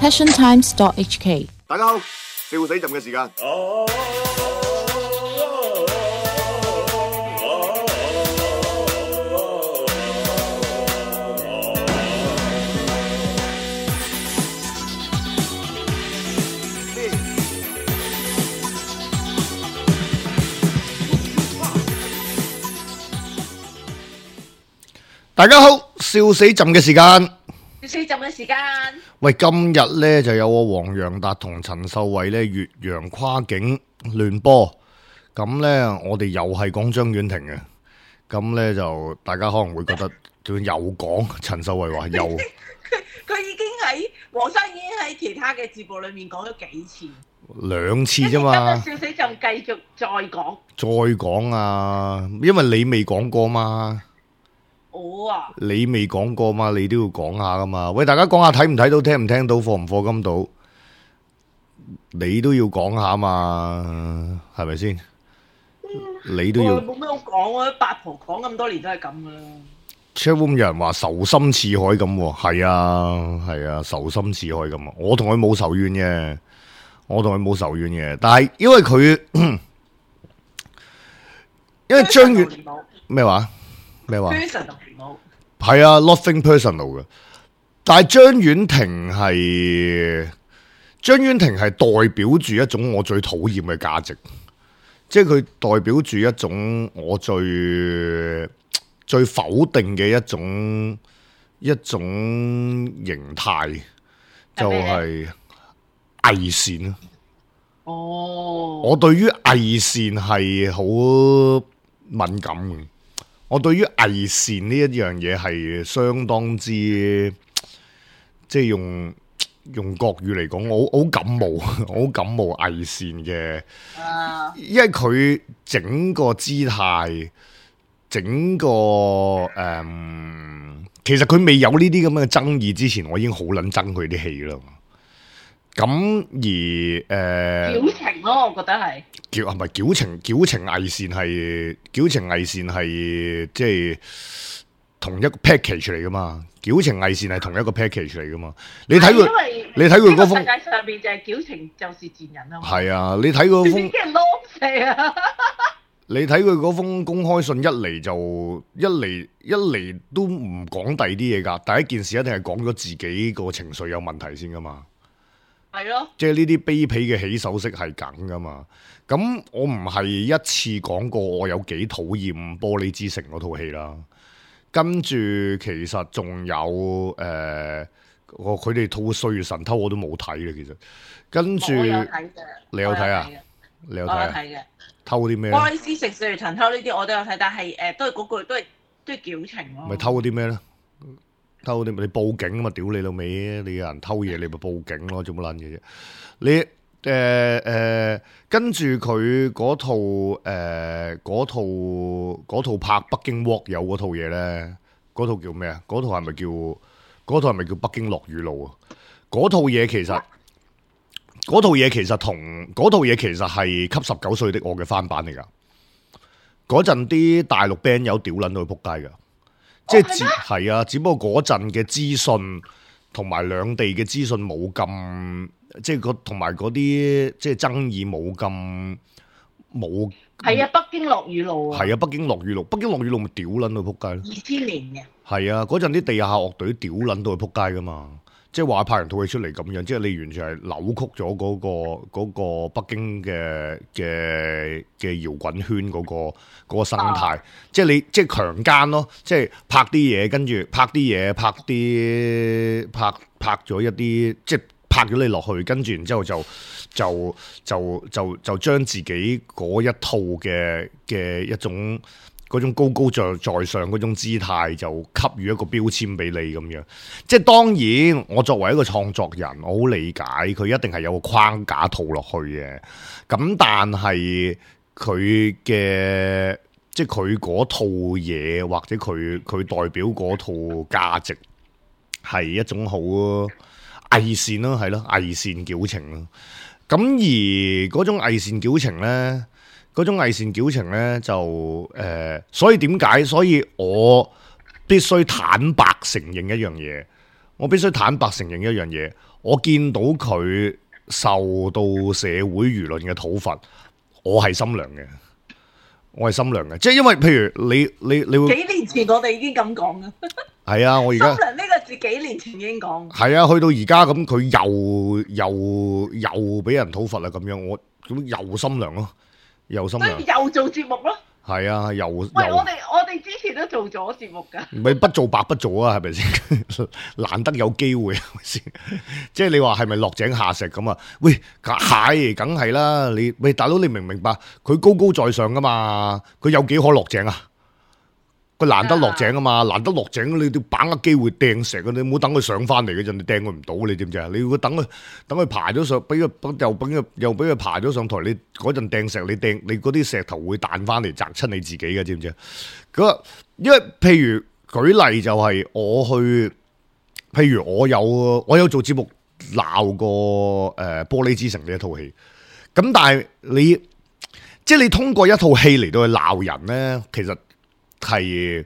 passiontimes.hk。大家好，笑死朕嘅時間。大家好，笑死朕嘅時間。笑死朕嘅時間。喂，今日咧就有我黃洋達同陳秀慧咧越洋跨境亂波，咁咧我哋又係講張婉婷嘅，咁咧就大家可能會覺得又講陳秀慧話又，佢已經喺黃生已經喺其他嘅節目裏面講咗幾次，兩次啫嘛。笑死朕繼續再講啊，因為你未講過嘛。我啊，你未講過嘛，你都要講下噶嘛。喂，大家講下睇唔睇到，聽唔聽到，課唔課金到，你都要講下嘛，係咪先？你都要。冇咩好講，我八婆講咁多年都係咁噶啦。Chatroom 有人話仇心似海咁喎，係啊，仇心似海咁啊。我同佢冇仇怨嘅，但係因為佢，因為張遠咩話？係啊 ，nothing personal 嘅。但係張婉婷係代表住一種我最討厭嘅價值，即係佢代表住一種我最否定嘅一種形態，就係偽善。哦，我對於偽善係好敏感嘅。我對於偽善呢一樣嘢係相當之，即係用國語嚟講，我好感冒偽善嘅，因為佢整個姿態，整個其實佢未有呢啲咁嘅爭議之前，我已經好撚憎佢啲戲啦。咁而矯情咯，我覺得係係咪矯情偽善係即係同一個 package 嚟噶嘛？矯情偽善係同一個 package 嚟噶嘛？你睇佢嗰封世界上邊就係矯情就是賤人啊嘛。係啊，你睇佢封你睇佢嗰封公開信一嚟都唔講第二啲嘢噶，第一件事一定係講咗自己個情緒有問題先噶嘛。係咯，即係呢啲卑鄙嘅起手式係梗噶嘛？咁我唔係一次講過我有幾討厭《玻璃之城》嗰套戲啦。跟住其實仲有佢哋套《歲月神偷》我都冇睇嘅，其實跟住你有睇啊？你有睇啊？偷啲咩？《玻璃之城》《歲月神偷》呢啲我都有睇，但係都係嗰句，都係矯情咯。咪偷啲咩咧？偷啲咪你報警啊嘛！屌你老味，你有人偷嘢，你咪報警咯，做乜撚嘢啫？你跟住佢嗰套拍北京鍋有嗰套嘢咧，嗰套叫咩啊？嗰套係咪叫北京落雨路啊？嗰套嘢其實係給19歲的我嘅翻版嚟噶。嗰陣啲大陸 band 友屌撚到去仆街噶。即係啊，只不過嗰陣嘅資訊同埋兩地嘅資訊冇咁，即係同埋嗰啲即係爭議冇咁冇。係啊，北京落雨路啊。係啊，北京落雨路咪屌撚到撲街咯。2000年嘅。係啊，嗰陣啲地下樂隊屌撚到去撲街噶嘛。即係話拍人套戲出嚟咁樣，即係你完全係扭曲咗嗰個北京嘅搖滾圈嗰個生態，即係你即係強姦咯，即係拍啲嘢，跟住拍咗一啲，即係拍咗你落去，跟住然之後就將自己嗰一套嘅一種。嗰種高高在上嗰種姿態就給予一個標籤俾你咁樣，即係當然我作為一個創作人，我好理解佢一定係有個框架套落去嘅，咁但係佢嘅即係佢嗰套嘢或者佢代表嗰套價值係一種好偽善咯，係咯，偽善矯情咯，咁而嗰種偽善矯情咧。嗰種偽善矯情咧就所以點解？所以我必須坦白承認一樣嘢。我見到佢受到社會輿論嘅討伐，我係心涼嘅。我係心涼嘅，即係因為譬如你會幾年前我哋已經咁講啦。係啊，我而家心涼呢個字幾年前已經講。係啊，去到而家咁，佢又俾人討伐啦，咁樣我咁又心涼咯，又心涼。又做節目咯。係啊，又喂，我哋之前都做咗節目㗎。咪不做白不做啊，係咪先？難得有機會係咪先？即係你話係咪落井下石咁啊？喂，係梗係啦。你喂大佬，你明唔明白？佢高高在上噶嘛，佢有幾可落井啊？佢難得落井啊嘛，難得落井，你要把握機會掟石啊！你唔好等佢上翻嚟嗰陣，你掟佢唔到，你知唔知啊？你要等佢爬咗上，俾佢又俾佢爬咗上台，你嗰陣掟石，你嗰啲石頭會彈翻嚟砸親你自己嘅，知唔知啊？咁因為譬如舉例就係譬如我有做節目鬧過玻璃之城呢一套戲，咁但係即係你通過一套戲嚟到去鬧人咧，其實係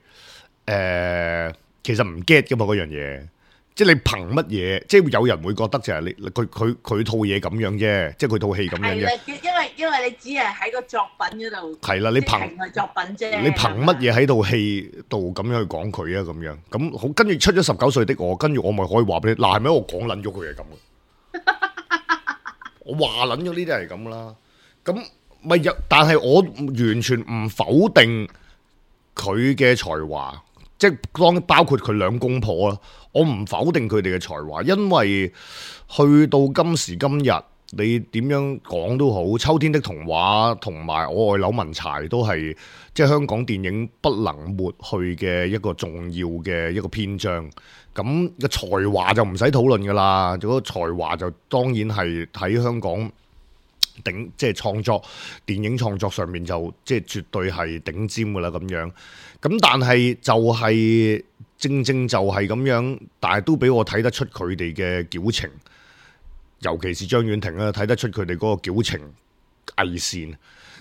其實唔 get 噶嘛嗰樣嘢，即係你憑乜嘢？即係有人會覺得就係佢套嘢咁樣啫，即係佢套戲咁樣啫。因為你只係喺個作品嗰度。係啦，你憑係作品啫。你憑乜嘢喺套戲度咁樣去講佢啊？咁樣咁好，跟住出咗19歲的我，跟住我咪可以話俾你嗱，係咪我講撚咗佢係咁嘅？我話撚咗呢啲係咁啦，咁咪有，但係我完全唔否定佢嘅才華，即係包括佢兩公婆啦，我唔否定佢哋嘅才華，因為去到今時今日，你點樣講都好，《秋天的童話》同埋《我愛柳文柴》都係即係香港電影不能抹去嘅一個重要嘅一個篇章。咁個才華就唔使討論噶啦，嗰個才華就當然係喺香港即係創作電影創作上面就即係絕對係頂尖噶啦咁樣。咁但係就係正就係咁樣，但係都俾我睇得出佢哋嘅矯情，尤其是張婉婷啦，睇得出佢哋嗰個矯情偽善。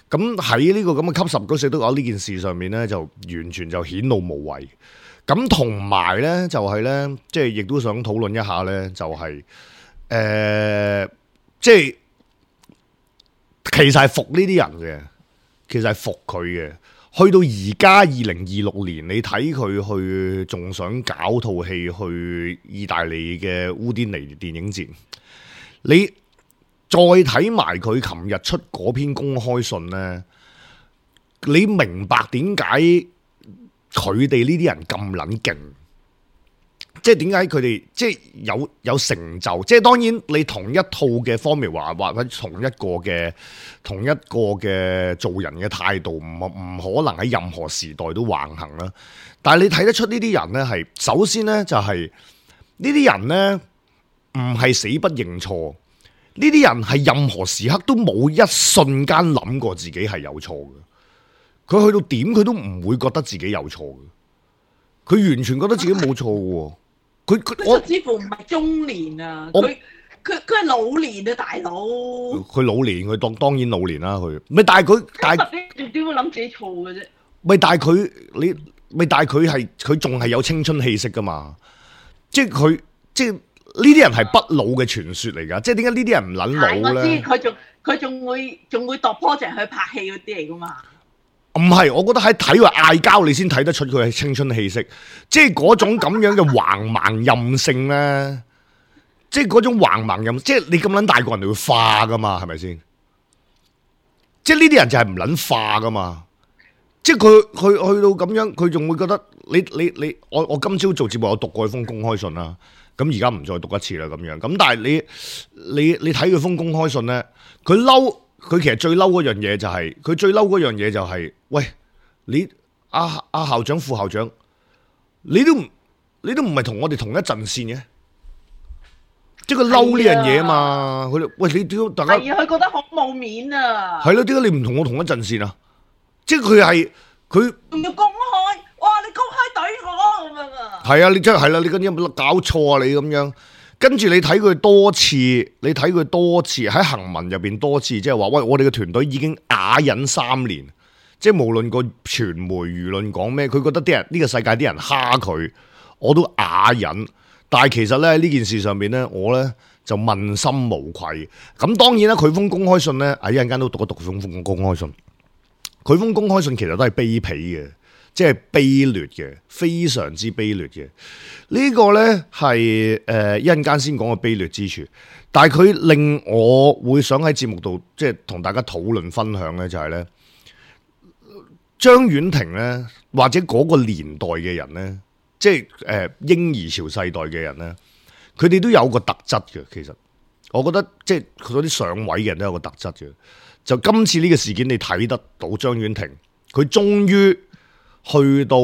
咁喺呢個咁嘅給19歲的我呢件事上面咧，就完全就顯露無遺。咁同埋咧，就係咧，即係亦都想討論一下咧，就係即係其實係服呢啲人嘅，其實係服佢嘅。去到而家2026年，你睇佢去仲想搞套戲去意大利嘅烏甸尼電影節，你再睇埋佢琴日出嗰篇公開信咧，你明白點解佢哋呢啲人咁撚勁？即係點解佢哋即係有成就？即係當然你同一套嘅formula或者同一個嘅做人嘅態度，唔可能喺任何時代都橫行啦。但係你睇得出呢啲人咧，係首先咧就係呢啲人咧唔係死不認錯，呢啲人係任何時刻都冇一瞬間諗過自己係有錯嘅。佢去到點佢都唔會覺得自己有錯嘅，佢完全覺得自己冇錯嘅。佢甚至乎唔係中年啊，佢係老年啊，大佬。佢老年，佢當然老年啦。佢咪但係佢點會諗自己錯嘅啫？咪但係佢仲係有青春氣息噶嘛？即係呢啲人係不老嘅傳說嚟噶。即係點解呢啲人唔撚老咧？我知佢仲會度 project 去拍戲嗰啲嚟噶嘛？唔係，我覺得喺睇佢嗌交，你先睇得出佢係青春氣息，即係嗰種咁樣嘅橫蠻任性咧，即係嗰種橫蠻任，即係你咁撚大個人，你會化噶嘛？係咪先？即係呢啲人就係唔撚化噶嘛？即係佢去到咁樣，佢仲會覺得我今朝做節目有讀過封公開信啦，咁而家唔再讀一次啦咁樣。咁但係你睇佢封公開信咧，佢嬲。佢其實最嬲嗰樣嘢就係，喂，你阿校長、副校長，你都唔係同我哋同一陣線嘅，即係佢嬲呢樣嘢啊嘛。佢哋喂，你點解大家係啊？佢覺得好冇面啊。係咯，點解你唔同我同一陣線啊？即係佢仲要公開，哇！你公開懟我咁樣啊？係啊，你真係啦，你嗰啲有冇搞錯啊？你咁樣。跟住你睇佢多次喺行文入邊多次，即係話喂，我哋嘅團隊已經啞忍3年，即係無論個傳媒輿論講咩，佢覺得啲人呢個世界啲人蝦佢，我都啞忍。但係其實咧呢件事上面咧，我咧就問心無愧。咁當然啦，佢封公開信咧，一陣間都讀一讀封公開信。佢封公開信其實都係卑鄙嘅，即係卑劣嘅，非常之卑劣嘅。呢個咧係一陣間先講個卑劣之處，但係佢令我會想喺節目度即係同大家討論分享咧，就係咧張婉婷咧，或者嗰個年代嘅人咧，即係嬰兒潮世代嘅人咧，佢哋都有個特質嘅。其實我覺得即係嗰啲上位嘅人都有個特質嘅。就今次呢個事件，你睇得到張婉婷，佢終於去到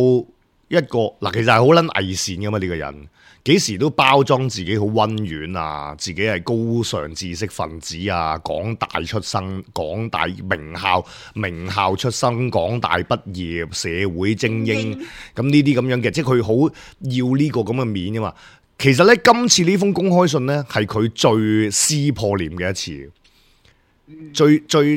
一個嗱，其實係好撚偽善噶嘛呢個人，幾時都包裝自己好溫軟啊，自己係高尚知識分子啊，港大出生，港大名校出生，港大畢業，社會精英，咁呢啲咁樣嘅，即係佢好要呢個咁嘅面噶嘛。其實咧，今次呢封公開信咧，係佢最撕破臉嘅一次。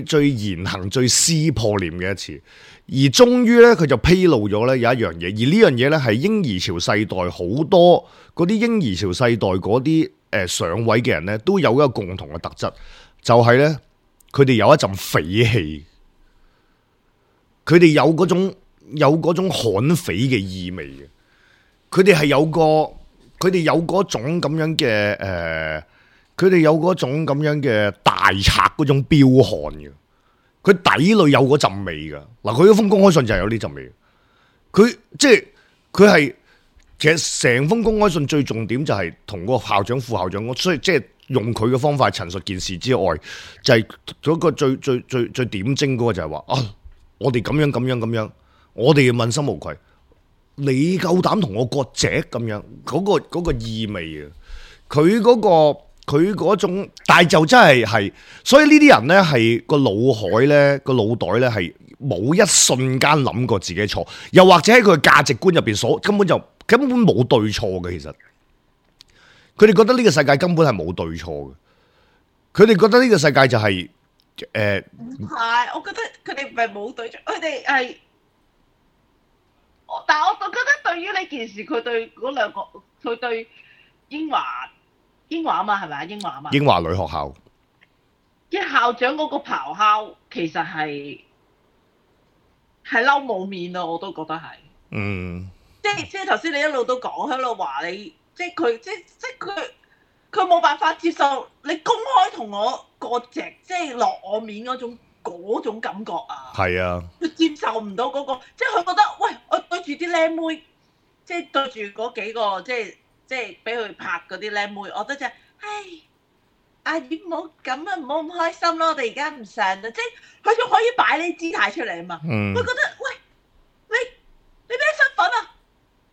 最言行最撕破臉嘅一次，而終於咧佢就披露咗咧有一樣嘢，而呢樣嘢咧係嬰兒潮世代好多嗰啲嬰兒潮世代嗰啲上位嘅人咧都有一個共同嘅特質，就係咧佢哋有一陣匪氣，佢哋有嗰種悍匪嘅意味嘅，佢哋係佢哋有嗰種咁樣嘅佢哋有嗰種咁樣嘅大賊嗰種彪悍嘅，佢底裏有嗰陣味噶。嗱，佢嗰封公開信就係有呢陣味。佢即係佢係其實成封公開信最重點就係同嗰個校長、副校長，所以即係用佢嘅方法陳述件事之外，就係嗰個最點睛嗰個就係話啊，我哋咁樣，我哋要問心無愧。你夠膽同我割席咁樣，嗰個意味啊，佢嗰種，但係就真係，所以呢啲人咧係個腦海咧個腦袋咧係冇一瞬間諗過自己錯，又或者喺佢嘅價值觀入邊根本冇對錯嘅。其實佢哋覺得呢個世界根本係冇對錯嘅，佢哋覺得呢個世界就係唔係，我覺得佢哋唔係冇對錯，佢哋係，但係我覺得對於呢件事，佢對嗰兩個，佢對英華啊嘛，係咪啊？英華啊嘛，英華女學校嘅校長嗰個咆哮，其實係嬲冇面啊！我都覺得係，即係頭先你一路都講喺度話你，即係佢冇辦法接受你公開同我割席，即係落我面嗰種感覺啊！係啊，佢接受唔到嗰個，即係佢覺得，喂，我對住啲靚妹，即係對住嗰幾個，即係俾佢拍嗰啲靚妹，我覺得就係，唉，阿姨唔好咁啊，唔好咁開心咯，我哋而家唔上啦，即係佢仲可以擺呢姿態出嚟啊嘛，佢覺得，喂，你咩身份啊？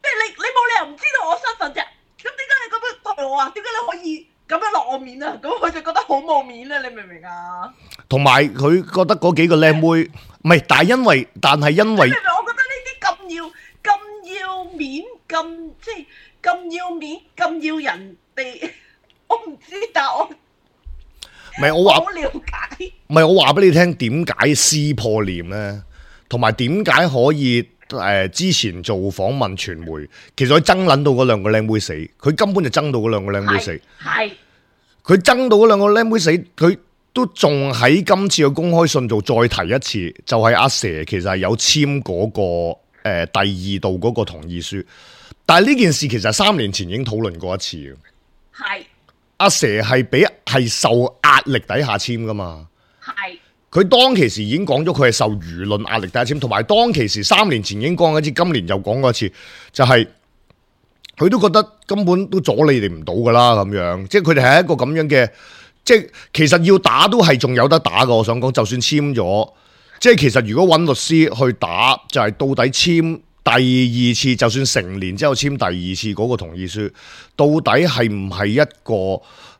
即係你冇理由唔知道我身份啫，咁點解你咁樣對我啊？點解你可以咁樣落我面啊？咁佢就覺得好冇面啊！你明唔明啊？同埋佢覺得嗰幾個靚妹唔係，但係因為，你明唔明？我覺得呢啲咁要面，即係咁要面，咁要人哋，我唔知，但係我唔係我話好了解。唔係我話俾你聽，點解撕破臉咧？同埋點解可以之前做訪問傳媒，其實佢爭撚到嗰兩個靚妹死，佢根本就爭到嗰兩個靚妹死。係佢爭到嗰兩個靚妹死，佢都仲喺今次嘅公開信度再提一次，就係阿蛇其實係有簽嗰個第二度嗰個同意書，但係呢件事其實3年前已經討論過一次嘅。係阿蛇係受壓力底下簽噶嘛？係佢當其時已經講咗，佢係受輿論壓力底下簽，同埋當其時3年前已經講過一次，今年又講過一次，就係佢都覺得根本都阻你哋唔到噶啦，咁樣，即係佢哋係一個咁樣嘅，即係其實要打都係仲有得打噶。我想講，就算簽咗，即係其實如果揾律師去打，就係到底簽第二次，就算成年之後簽第二次嗰個同意書，到底係唔係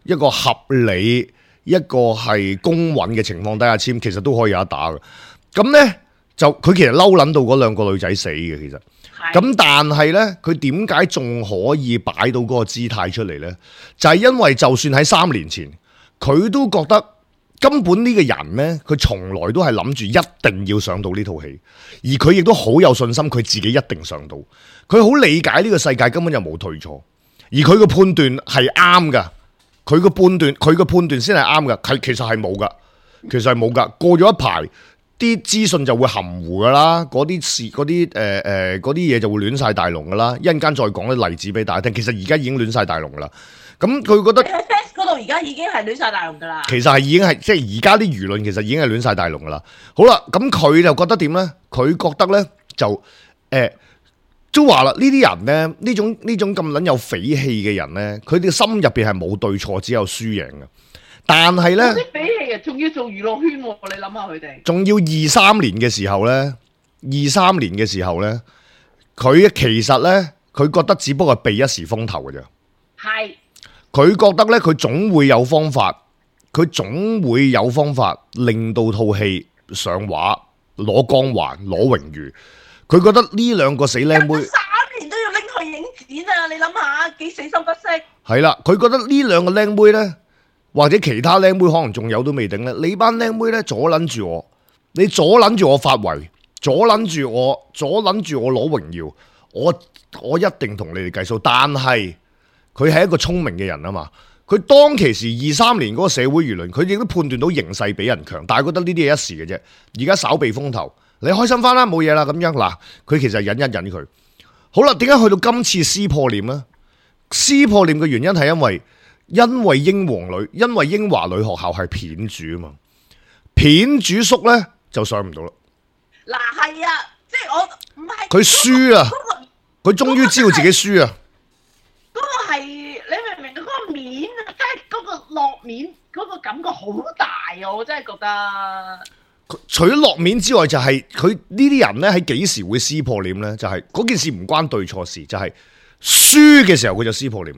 一個合理，一個係公允嘅情況底下簽，其實都可以有得打嘅。咁呢，就佢其實嬲撚到嗰兩個女仔死嘅，其實。咁但係呢，佢點解仲可以擺到嗰個姿態出嚟呢？就係因為就算喺3年前，佢都覺得根本呢個人呢，佢從來都係諗住一定要上到呢套戲，而佢亦都好有信心，佢自己一定上到。佢好理解呢個世界根本就冇對錯，而佢嘅判斷係啱噶。佢個判斷先係啱㗎，其實係冇㗎，其實係冇㗎。過咗一排，啲資訊就會含糊㗎啦，嗰啲嘢就會亂晒大龍㗎啦。一陣間再講啲例子俾大家聽。其實而家已經亂晒大龍㗎啦。咁佢覺得喺 Face 嗰度而家已經係亂晒大龍㗎啦。其實係已經係即係而家啲輿論其實已經係亂晒大龍㗎啦。好啦，咁佢就覺得點咧？佢覺得咧就都話啦，呢啲人咧，呢種咁撚有匪氣嘅人咧，佢哋心入邊係冇對錯，只有輸贏嘅。但係咧，啲匪氣啊，仲要做娛樂圈喎，你諗下佢哋。仲要23年嘅時候咧，佢其實咧，佢覺得只不過係避一時風頭嘅啫。係。佢覺得咧，佢總會有方法令到套戲上畫，攞光環，攞榮譽。佢覺得呢兩個死靚妹3年都要拎去影展啊！你諗下幾死心不息。係啦，佢覺得呢兩個靚妹呢，或者其他靚妹可能仲有都未定呢。你班靚妹呢，阻撚住我，你阻撚住我發圍，阻撚住我攞榮耀，我一定同你哋計數。但係佢係一個聰明嘅人啊嘛，佢當其時23年嗰個社會輿論，佢亦都判斷到形勢比人強，但係覺得呢啲係一時嘅啫。而家稍避風頭。你開心翻啦，冇嘢啦咁樣嗱，佢其實忍一忍佢。好啦，點解去到今次撕破臉呢？撕破臉嘅原因係因為英華女學校係片主啊嘛，片主叔呢就上唔到啦。嗱係啊，即係我唔係佢輸啊，佢終於知道自己輸啊。嗰個係你明唔明？嗰個面啊，即係嗰個落面嗰個感覺好大啊！我真係覺得。除咗落面之外，就係佢呢啲人咧喺幾時會撕破臉咧？就係嗰件事唔關對錯事，就係輸嘅時候佢就撕破臉。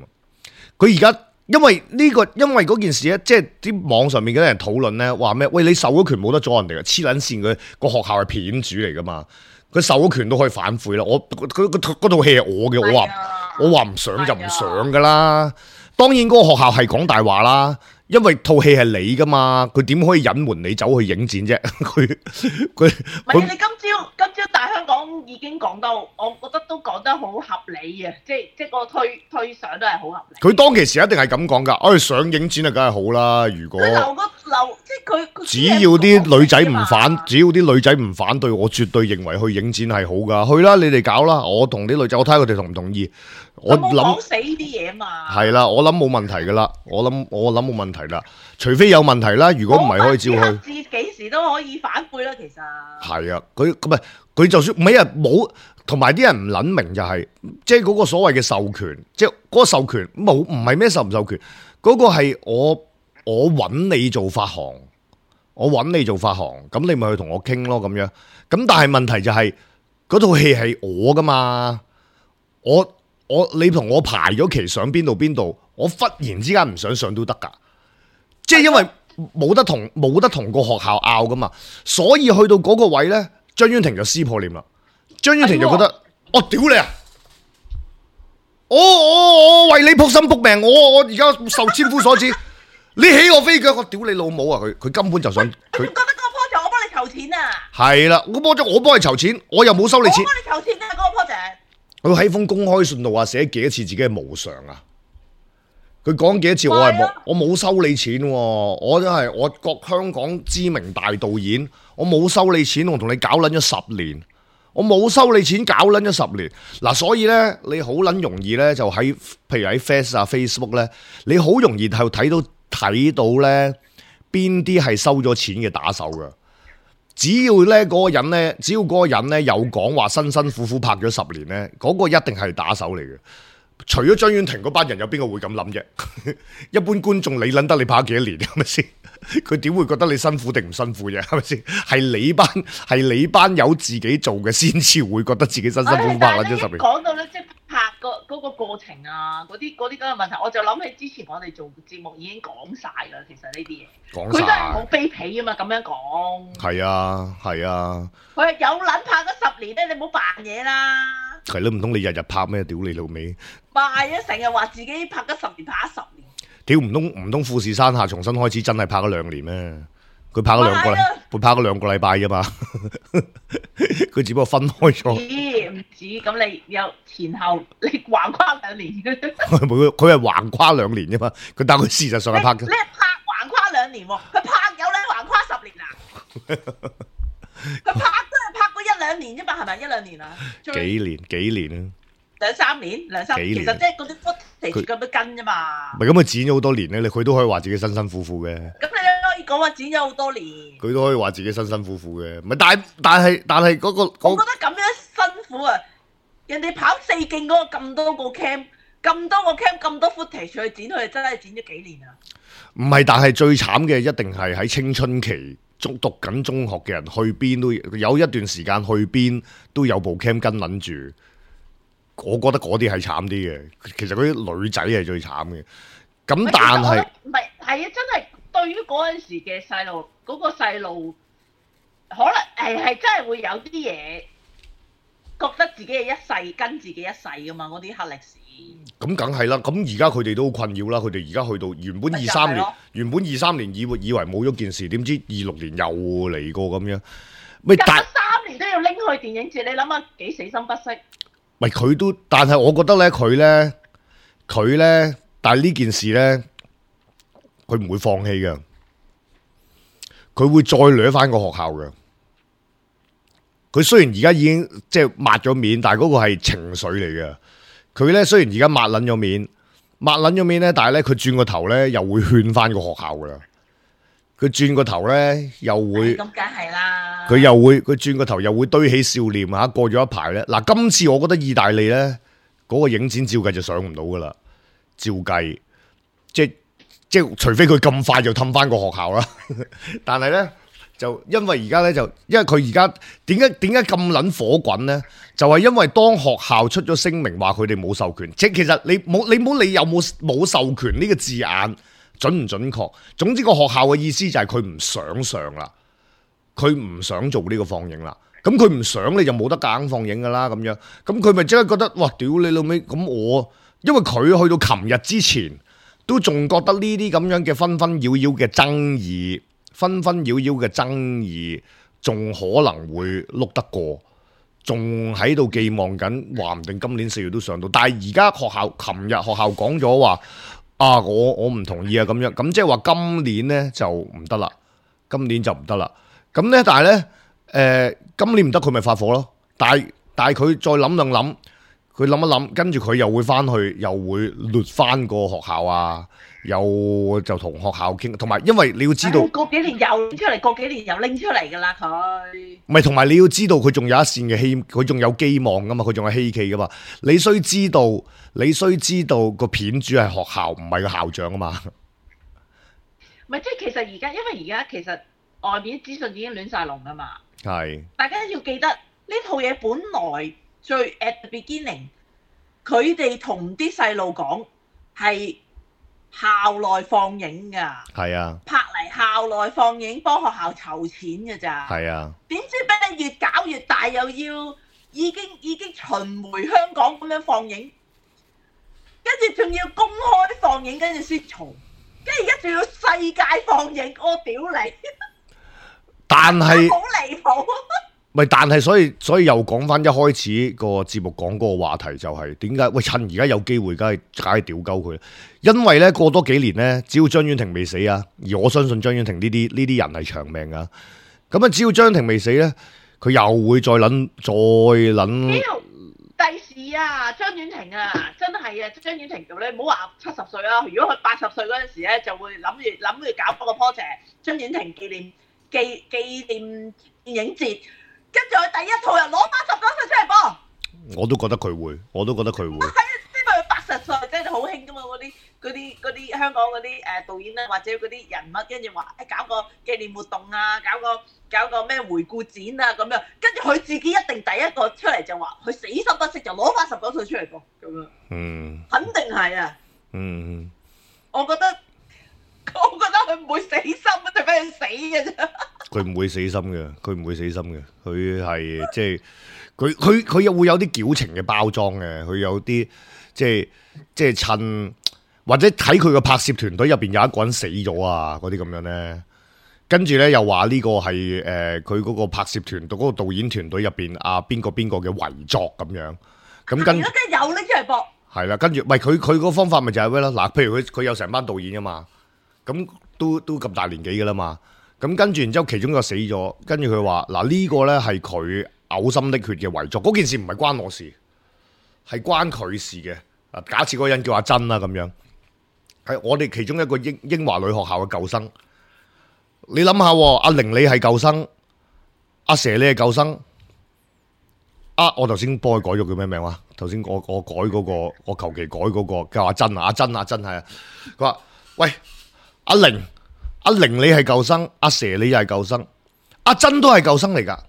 佢而家因為嗰件事咧，即係啲網上面嗰啲人討論咧，話咩？喂，你授咗權冇得阻人哋嘅，黐撚線，佢個學校係片主嚟噶嘛？佢授咗權都可以反悔啦。嗰套戲係我嘅，我話唔上就唔上噶啦。當然嗰個學校係講大話啦。因為套戲係你噶嘛，佢點可以隱瞞你走去影展啫？佢唔係你今朝大香港已經講到，我覺得都講得好合理啊！即係個推想都係好合理。佢當其時一定係咁講噶，上影展啊，梗係好啦。如果即係佢只要啲女仔唔反對，我絕對認為去影展係好噶。去啦，你哋搞啦，我同啲女仔，我睇下佢哋同唔同意。我諗講死呢啲嘢嘛。係啦，我諗冇問題噶啦，我諗冇問題啦，除非有問題啦。如果唔係，可以照去。幾時都可以反悔啦，其實。係啊，佢就算唔係啊，冇同埋啲人唔撚明就係，即係嗰個所謂嘅授權，即係嗰個授權唔係咩授唔授權，嗰個係我揾你做發行，咁你咪去同我傾咯咁樣。咁但係問題就係嗰套戲係我噶嘛，你同我排咗期上邊度，我忽然之間唔想上都得噶，即係因為冇得同個學校拗噶嘛，所以去到嗰個位咧，張婉婷就撕破臉啦。張婉婷就覺得，我屌你啊！我為你撲心撲命，我而家受千夫所指，你起我飛腳，我屌你老母啊！佢根本就想佢。覺得嗰個 project 我幫你籌錢啊！係啦，我幫你籌錢，我又冇收你錢。我幫你籌錢啊！嗰個 project。佢喺封公開信度話寫幾多次自己係無償啊！佢講幾多次我冇收你錢，我真係我國香港知名大導演，我冇收你錢，我同你搞撚咗10年，我冇收你錢，搞撚咗10年。嗱，所以咧你好撚容易咧就喺譬如喺 Facebook 咧，你好容易就睇到咧邊啲係收咗錢嘅打手噶。只要嗰個人咧有講話辛辛苦苦拍咗10年咧，嗰個一定係打手嚟嘅。除咗張婉婷嗰班人，有邊個會咁諗啫？一般觀眾你諗得你拍咗幾多年係咪先？佢點會覺得你辛苦定唔辛苦啫？係咪先？係你班友自己做嘅，先至會覺得自己辛苦拍咗10年。講到咧，即係拍嗰個過程啊，嗰啲咁嘅問題，我就諗起之前我哋做節目已經講晒啦。其實呢啲嘢，佢真係好卑鄙啊嘛！咁樣講係啊。佢係有撚拍咗10年咧，你唔好扮嘢啦。係咯，唔通你日日拍咩？屌你老味！賣啊！成日話自己拍咗10年，拍咗10年。屌唔通富士山下重新開始真係拍咗2年咩？佢拍咗2個禮拜啫嘛，佢只不過分開咗。唔止，咁你有前後，你橫跨2年。佢係橫跨2年啫嘛，但係佢事實上係拍嘅。你係拍橫跨2年喎，佢拍有你橫跨10年啊？佢拍都係拍過1-2年啫嘛，係咪1-2年啊？幾年啊？2-3年，其實即係嗰啲 footage 咁樣跟啫嘛。唔係咁佢剪咗好多年咧，佢都可以話自己辛辛苦苦嘅。咁你可以講話剪咗好多年。佢都可以話自己辛辛苦苦嘅，唔係但係嗰個，我覺得咁樣辛苦啊！人哋跑4徑嗰個咁多個 cam，咁多 footage 去剪，佢哋真係剪咗幾年啊！唔係，但係最慘嘅一定係喺青春期讀緊中學嘅人，去邊都有一段時間，去邊都有部 cam 跟撚住。我覺得嗰啲係慘啲嘅，其實嗰啲女仔係最慘嘅。咁但係唔係係啊，真係對於嗰陣時嘅細路，嗰個細路可能係真係會有啲嘢覺得自己係一世跟自己一世噶嘛，嗰啲黑歷史。咁梗係啦，咁而家佢哋都好困擾啦。佢哋而家去到原本23年以為冇咗件事，點知26年又嚟過咁樣。隔咗3年都要拎去電影節，你諗下幾死心不息？唔係佢都，但係我覺得咧，佢咧，但係呢件事咧，佢唔會放棄嘅，佢會再掠翻個學校嘅。佢雖然而家已經即係抹咗面，但係嗰個係情緒嚟嘅。佢咧雖然而家抹撚咗面咧，但係咧佢轉個頭咧又會勸翻個學校噶啦。佢轉個頭咧又會，咁梗係啦。佢轉個頭又會堆起笑臉嚇。過咗一排咧，嗱今次我覺得意大利咧嗰個影展照計就上唔到噶啦，照計即係除非佢咁快就氹翻個學校啦。但係咧就因為而家咧就因為佢而家點解咁撚火滾咧？就係因為當學校出咗聲明話佢哋冇授權，即係其實你冇理有冇授權呢個字眼準唔準確？總之個學校嘅意思就係佢唔想上啦，佢唔想做呢個放映啦。咁佢唔想你就冇得夾硬放映噶啦咁樣。咁佢咪即刻覺得哇屌你老味！咁我因為佢去到琴日之前都仲覺得呢啲咁樣嘅紛紛擾擾嘅爭議仲可能會碌得過，仲喺度寄望緊，話唔定今年4月都上到。但係而家琴日學校講咗話啊，我唔同意啊咁樣，咁即係話今年呢就唔得啦，今年就唔得啦。咁呢，但係呢，今年唔得佢咪發火咯。但係佢再諗兩諗，佢諗一諗，跟住佢又會翻去，又會掠翻個學校啊。又就同學校傾，同埋因為你要知道，過幾年又拎出嚟，過幾年又拎出嚟噶啦佢。唔係，同埋你要知道佢仲有一線嘅希，佢仲有寄望噶嘛，佢仲有希冀噶嘛。你需知道個片主係學校，唔係個校長啊嘛。唔係，即係其實而家，因為而家其實外面資訊已經亂晒龍噶嘛。係。大家要記得呢套嘢本來最 at the beginning，佢哋同啲細路講係校內放映㗎，係啊，拍嚟校內放映，幫學校籌錢㗎咋，係啊。點知俾你越搞越大，又要已經巡迴香港咁樣放映，跟住仲要公開放映，跟住先嘈，跟住而家仲要世界放映，我屌你！但係好離譜。唔係，但係所以又講翻一開始個節目講嗰個話題就係點解？喂，趁而家有機會，梗係屌鳩佢。因為咧過多幾年咧，只要張婉婷未死啊，而我相信張婉婷呢啲人係長命啊。咁啊，只要張婉婷未死咧，佢又會再諗。第時啊，張婉婷啊，真係啊，張婉婷你唔好話70歲啊。如果佢80歲嗰陣時咧，就會諗住搞嗰個 project，張婉婷紀念電影節。跟住佢第一套又攞89歲出嚟播，我都覺得佢會。係啊，因為佢80歲真係好興噶嘛，嗰啲香港嗰啲導演咧，或者嗰啲人物，跟住話搞個紀念活動啊，搞個咩回顧展啊咁樣，跟住佢自己一定第一個出嚟就話佢死心不息就攞89歲出嚟播咁樣，肯定係啊，我覺得佢唔會死心，除非佢死嘅啫。佢唔會死心嘅，佢係即係佢又會有啲矯情嘅包裝嘅，佢有啲即係趁或者睇佢個拍攝團隊入邊有一個人死咗啊，嗰啲咁樣咧，跟住咧又話呢個係佢嗰個拍攝團隊嗰個導演團隊入邊啊邊個嘅遺作咁樣，咁跟而家真係有拎出嚟播。係啦，跟住咪佢個方法咪就係咩啦？嗱，譬如佢有成班導演噶嘛，咁都咁大年紀噶啦嘛，咁跟住然之後其中一個死咗，跟住佢話嗱呢個咧係佢嘔心瀝血嘅遺作，嗰件事唔係關我事，係關佢事嘅。啊，假設嗰個人叫阿珍啦咁樣，係我哋其中一個英華女學校嘅舊生。你諗下，阿玲你係舊生，阿蛇你係舊生。啊！我頭先幫佢改咗叫咩名話？頭先我改嗰個，我求其改嗰個叫阿珍啊，阿珍係啊。佢話：喂，阿玲你係舊生，阿蛇你又係舊生，阿珍都係舊生嚟噶。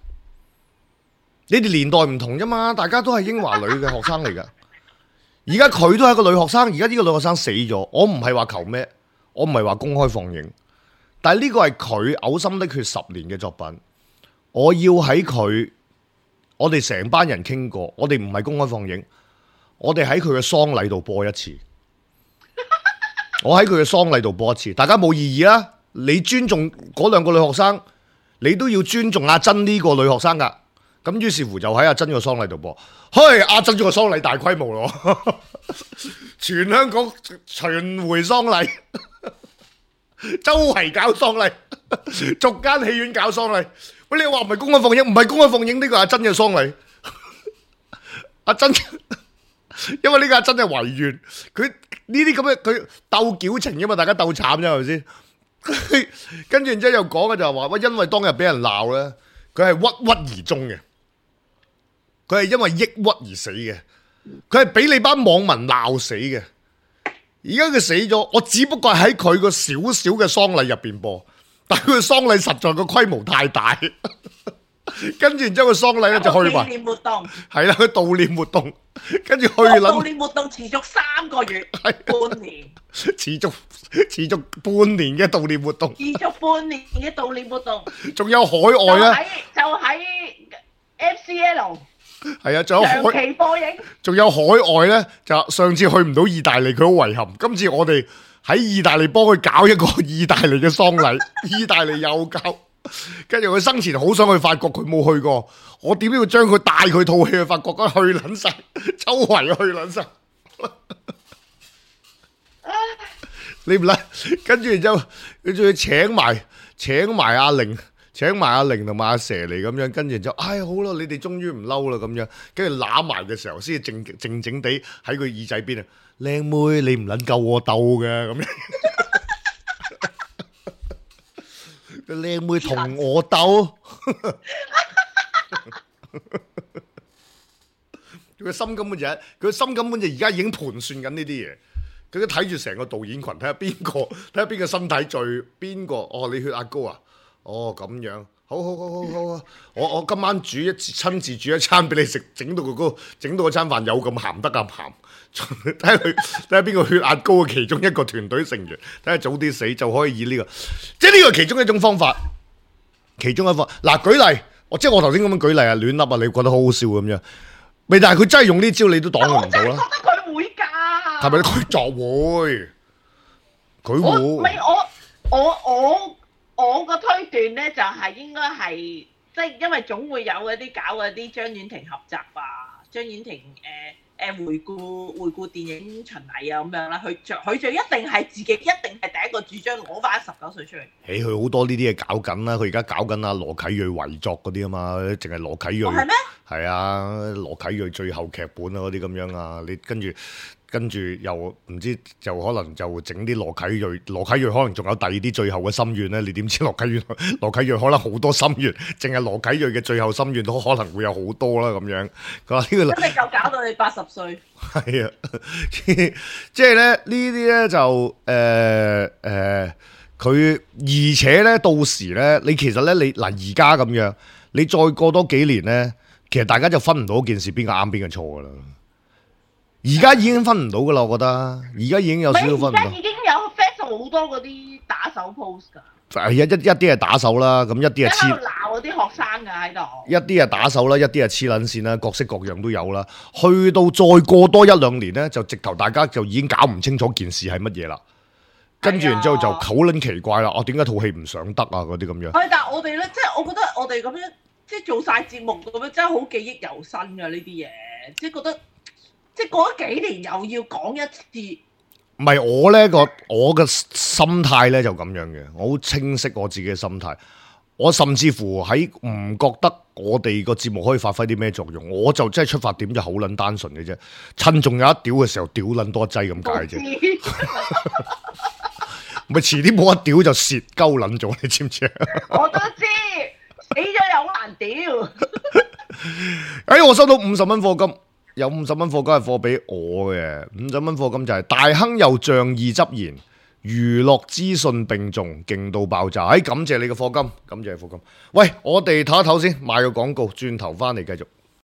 你哋年代唔同啫嘛，大家都係英華女嘅學生嚟噶。而家佢都係一個女學生，而家呢個女學生死咗。我唔係話求咩，我唔係話公開放映，但係呢個係佢嘔心瀝血10年嘅作品。我要喺佢。我哋成班人傾過，我哋唔係公開放映，我哋喺佢嘅喪禮度播一次。我喺佢嘅喪禮度播一次，大家冇異議啦。你尊重嗰兩個女學生，你都要尊重阿珍呢個女學生噶。咁於是乎就喺阿珍個喪禮度播。嘿，阿珍個喪禮大規模咯，全香港巡迴喪禮，周圍搞喪禮，逐間戲院搞喪禮。喂，你話唔係公開放映，唔係公開放映，呢個阿珍嘅喪禮，阿珍，因為呢個阿珍係遺願，佢呢啲咁嘅佢鬥矯情啫嘛，大家鬥慘啫係咪先？跟住然之後又講嘅就係話，喂，因為當日俾人鬧咧，佢係鬱鬱而終嘅，佢係因為抑鬱而死嘅，佢係俾你班網民鬧死嘅。而家佢死咗，我只不過係喺佢個少少嘅喪禮入邊播。但係佢嘅喪禮實在個規模太大，跟住然之後個喪禮咧就去埋，紀念活動係啦，佢悼念活動，跟住去悼念活動持續3個月，半年，持續半年嘅悼念活動，持續半年嘅悼念活動，仲有海外咧，就喺 FCL， 係啊，仲有長期播映，仲有海外咧，就上次去唔到意大利，佢好遺憾，今次我哋。喺意大利幫佢搞一個意大利嘅喪禮，意大利又搞，跟住佢生前好想去法國，佢冇去過，我點都要將佢帶佢套戲去法國，去撚晒，周圍去撚晒。你唔嚟，跟住然之後佢仲要請埋阿玲同埋阿蛇嚟咁樣，跟住就唉好啦，你哋終於唔嬲啦咁樣，跟住攬埋嘅時候先至靜地喺佢耳仔邊啊。靚妹，你唔撚夠我鬥嘅咁樣，靚妹同我鬥，佢心根本就而家已經盤算緊呢啲嘢，佢都睇住成個導演群，睇下邊個身體最邊個哦，你血壓高啊，哦咁樣，好啊，我今晚親自煮一餐俾你食，整到嗰餐飯有咁鹹得咁鹹。睇下邊個血壓高嘅其中一個團隊成員，睇下早啲死就可以以呢個，即係呢個係其中一種方法，其中一方嗱舉例，即係我頭先咁樣舉例啊，亂笠啊，你覺得好好笑咁樣，咪但係佢真係用呢招，你都擋佢唔到啦。我覺得佢會㗎，係咪佢作會？佢會？唔係我個推斷咧，就係應該係即係因為總會有嗰啲搞嗰啲張婉婷合集啊，張婉婷回顧電影巡禮啊咁樣啦，佢就一定係自己，一定係第一個主張攞翻19歲出嚟。佢好多呢啲嘢搞緊啦，佢而家搞緊阿羅啟銳遺作嗰啲啊嘛，淨係羅啟銳。係咩？係啊，羅啟銳最後劇本啊嗰啲咁樣啊，你跟住又唔知就可能就整啲羅啟銳可能仲有第二啲最後嘅心願咧，你點知羅啟銳可能好多心願，淨係羅啟銳嘅最後心願都可能會有好多啦咁樣。佢話呢個真係夠搞到你80歲。係啊，即係咧呢啲咧就佢而且咧到時咧，你其實咧你嗱而家咁樣，你再過多幾年咧，其實大家就分唔到件事邊個啱邊個錯噶啦。而家已經分唔到噶啦，我覺得而家已經有少少分唔到。而家已經有 fans 好多嗰啲打手 pose 噶。係一啲係打手啦，咁一啲係黐鬧嗰啲學生噶喺度。一啲係打手啦，一啲係黐撚線啦，各式各樣都有啦。去到再過多1-2年咧，就直頭大家就已經搞唔清楚件事係乜嘢啦。跟住然之後就好撚奇怪啦，點解套戲唔上得啊？嗰啲咁樣。係，但係我哋咧，即係我覺得我哋咁樣即係做晒節目咁樣，真係好記憶猶新㗎呢啲嘢，即係覺得即係過咗幾年又要講一次。唔係我咧我嘅心態咧就咁樣嘅，我好清晰我自己嘅心態。我甚至乎喺唔覺得我哋個節目可以發揮啲咩作用，我就真係出發點就好撚單純嘅啫。趁仲有一屌嘅時候，屌撚多一劑咁解啫。咪遲啲冇得屌就蝕鳩撚咗，你知唔知啊？我都知，死咗又好難屌。我收到50蚊課金，有50蚊課金係課俾我嘅，50蚊課金就係大亨又仗義執言。娛樂資訊並重，勁到爆炸！感謝你嘅課金，感謝課金。喂，我哋唞一唞先，賣個廣告，轉頭翻嚟繼續。